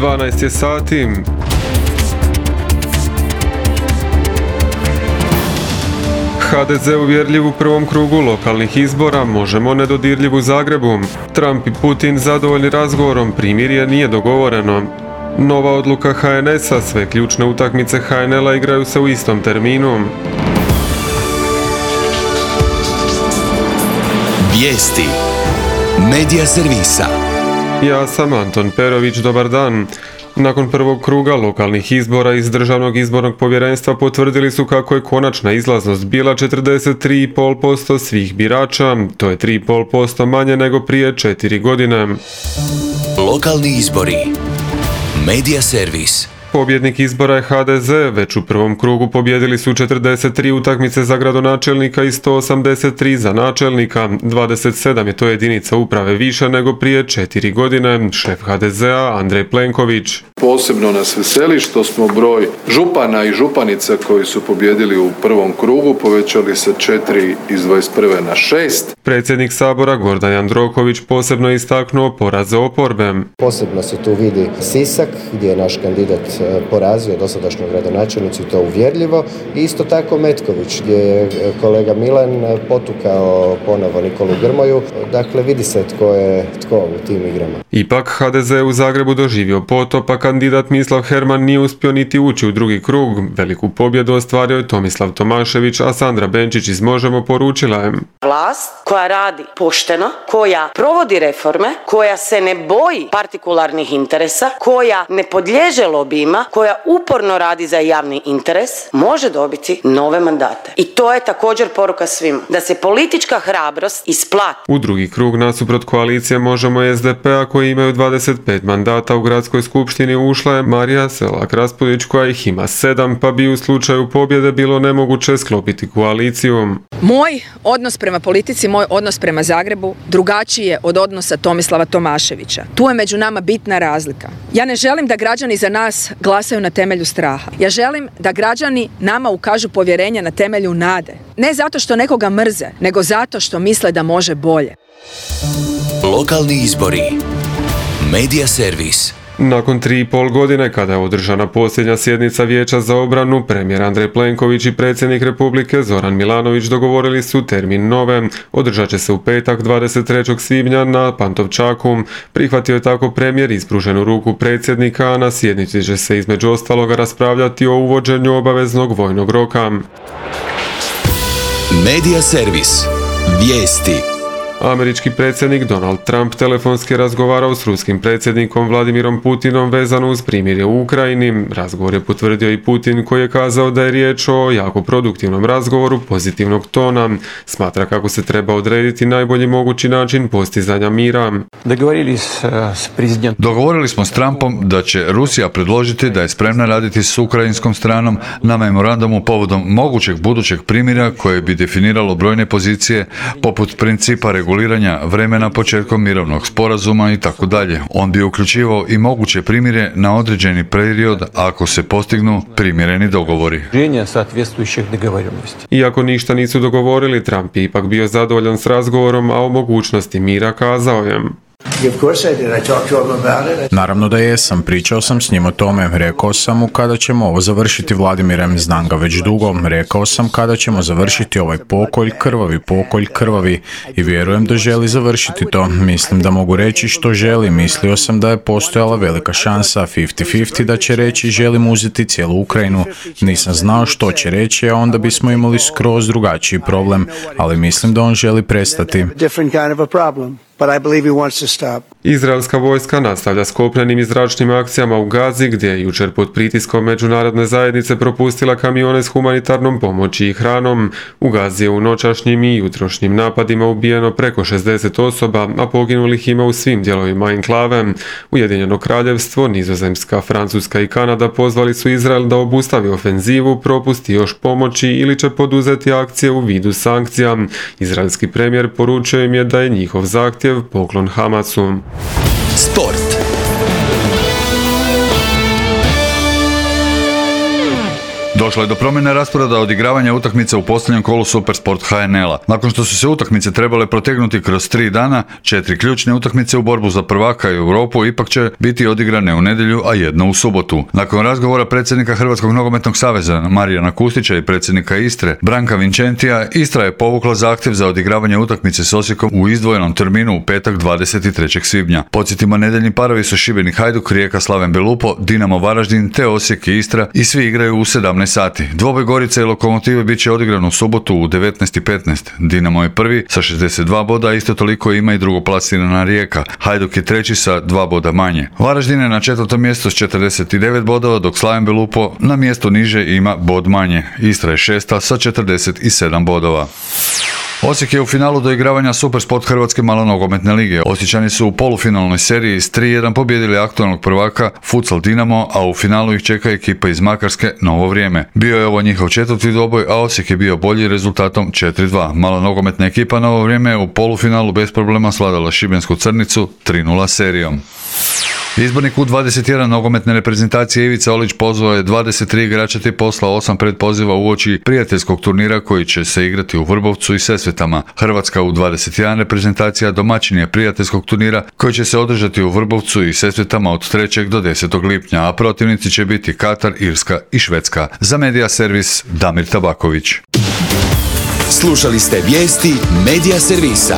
12 je sati. HDZ uvjerljiv u prvom krugu lokalnih izbora, Možemo nedodirljiv u Zagrebu. Trump i Putin zadovoljni razgovorom, primirje nije dogovoreno. Nova odluka HNS-a, sve ključne utakmice HNL-a igraju se u istom terminu. Vijesti Medija servisa. Ja sam Anton Perović, dobar dan. Nakon prvog kruga lokalnih izbora iz Državnog izbornog povjerenstva potvrdili su kako je konačna izlaznost bila 43,5% svih birača, to je 3,5% manje nego prije 4 godine. Lokalni izbori. Medija servis. Pobjednik izbora je HDZ, već u prvom krugu pobjedili su 43 utakmice za gradonačelnika i 183 za načelnika, 27 je to jedinica uprave više nego prije 4 godine, šef HDZ-a Andrej Plenković. Posebno nas veseli što smo broj župana i županica koji su pobjedili u prvom krugu povećali sa 4 iz 21. na 6. Predsjednik Sabora Gordan Jandroković posebno je istaknuo poraze oporbe. Posebno se tu vidi Sisak gdje je naš kandidat porazio dosadašnju gradonačelnicu i to uvjerljivo. I isto tako Metković gdje je kolega Milan potukao ponovo Nikolu Grmoju. Dakle, vidi se tko je tko u tim igrama. Ipak HDZ u Zagrebu doživio potop, a kandidat Mislav Herman nije uspio niti ući u drugi krug. Veliku pobjedu ostvario je Tomislav Tomašević, a Sandra Benčić iz Možemo poručila je: vlast koja radi pošteno, koja provodi reforme, koja se ne boji partikularnih interesa, koja ne podliježe lobijima, koja uporno radi za javni interes, može dobiti nove mandate. I to je također poruka svima, da se politička hrabrost isplati. U drugi krug nasuprot koalicije Možemo i SDP-a koji imaju 25 mandata u gradskoj skupštini ušla je Marija Selak-Raspudić koja ih ima 7, pa bi u slučaju pobjede bilo nemoguće sklopiti koaliciju. Moj odnos prema politici, moj odnos prema Zagrebu drugačiji je od odnosa Tomislava Tomaševića. Tu je među nama bitna razlika. Ja ne želim da građani za nas glasaju na temelju straha. Ja želim da građani nama ukažu povjerenje na temelju nade. Ne zato što nekoga mrze, nego zato što misle da može bolje. Lokalni izbori. Medija servis. Nakon 3,5 godine, kada je održana posljednja sjednica Vijeća za obranu, premijer Andrej Plenković i predsjednik Republike Zoran Milanović dogovorili su termin nove. Održat će se u petak 23. svibnja na Pantovčaku. Prihvatio je tako premijer ispruženu ruku predsjednika, a na sjednici će se između ostaloga raspravljati o uvođenju obaveznog vojnog roka. Medija servis. Vijesti. Američki predsjednik Donald Trump telefonski razgovarao s ruskim predsjednikom Vladimirom Putinom vezano uz primirje u Ukrajini. Razgovor je potvrdio i Putin koji je kazao da je riječ o jako produktivnom razgovoru pozitivnog tona. Smatra kako se treba odrediti najbolji mogući način postizanja mira. Dogovorili smo s Trumpom da će Rusija predložiti da je spremna raditi s ukrajinskom stranom na memorandumu povodom mogućeg budućeg primirja koje bi definiralo brojne pozicije poput principa reguliranja vremena početkom mirovnog sporazuma i tako dalje. On bi uključivao i moguće primirje na određeni period ako se postignu primjereni dogovori. Iako ništa nisu dogovorili, Trump je ipak bio zadovoljan s razgovorom, a o mogućnosti mira kazao je: Naravno da jesam, pričao sam s njim o tome, rekao sam mu kada ćemo ovo završiti, Vladimirem, znam ga već dugo, rekao sam kada ćemo završiti ovaj pokolj krvavi i vjerujem da želi završiti to, mislim da mogu reći što želi, mislio sam da je postojala velika šansa 50-50 da će reći želim uzeti cijelu Ukrajinu, nisam znao što će reći, a onda bismo imali skroz drugačiji problem, ali mislim da on želi prestati. Izraelska vojska nastavlja s kopnenim i zračnim akcijama u Gazi, gdje je jučer pod pritiskom međunarodne zajednice propustila kamione s humanitarnom pomoći i hranom. U Gazi je u noćašnjim i jutrošnjim napadima ubijeno preko 60 osoba, a poginulih ima u svim dijelovima enklave. Ujedinjeno kraljevstvo, Nizozemska, Francuska i Kanada pozvali su Izrael da obustavi ofenzivu, propusti još pomoći ili će poduzeti akcije u vidu sankcija. Izraelski premijer poručio im je da je njihov zahtjev poklon Hamasu. Sport. Došlo je do promjene rasporeda odigravanja utakmica u posljednjem kolu Supersport HNL-a. Nakon što su se utakmice trebale protegnuti kroz 3 dana, 4 ključne utakmice u borbu za prvaka i Europu ipak će biti odigrane u nedjelju, a jedna u subotu. Nakon razgovora predsjednika Hrvatskog nogometnog saveza Marijana Kustića i predsjednika Istre Branka Vincentija, Istra je povukla zahtjev za odigravanje utakmice s Osijekom u izdvojenom terminu u petak 23. svibnja. Podsjetimo, nedjeljni parovi su Šibenik Hajduk, Rijeka Slaven Belupo, Dinamo Varaždin te Osijek i Istra i svi igraju u 17 sati. Dvoboj Gorice i Lokomotive bit će odigran u subotu u 19:15. Dinamo je prvi sa 62 boda, isto toliko ima i drugoplasirana Rijeka. Hajduk je treći sa 2 boda manje. Varaždin je na 4. mjestu s 49 bodova, dok Slaven Belupo na mjestu niže ima bod manje. Istra je 6. sa 47 bodova. Osijek je u finalu doigravanja Supersport Hrvatske malonogometne lige. Osječani su u polufinalnoj seriji s 3-1 pobijedili aktualnog prvaka Futsal Dinamo, a u finalu ih čeka ekipa iz Makarske Novo vrijeme. Bio je ovo njihov 4. dvoboj, a Osijek je bio bolji rezultatom 4-2. Malonogometna ekipa Novo vrijeme je u polufinalu bez problema svladala Šibensku Crnicu 3-0 serijom. Izbornik U21 nogometne reprezentacije Ivica Olić pozvao je 23 igrača te poslao 8 predpoziva uoči prijateljskog turnira koji će se igrati u Vrbovcu i Sesvetama. Hrvatska U21 reprezentacija domaćin je prijateljskog turnira koji će se održati u Vrbovcu i Sesvetama od 3. do 10. lipnja, a protivnici će biti Katar, Irska i Švedska. Za Medija servis Damir Tabaković. Slušali ste vijesti Medija servisa.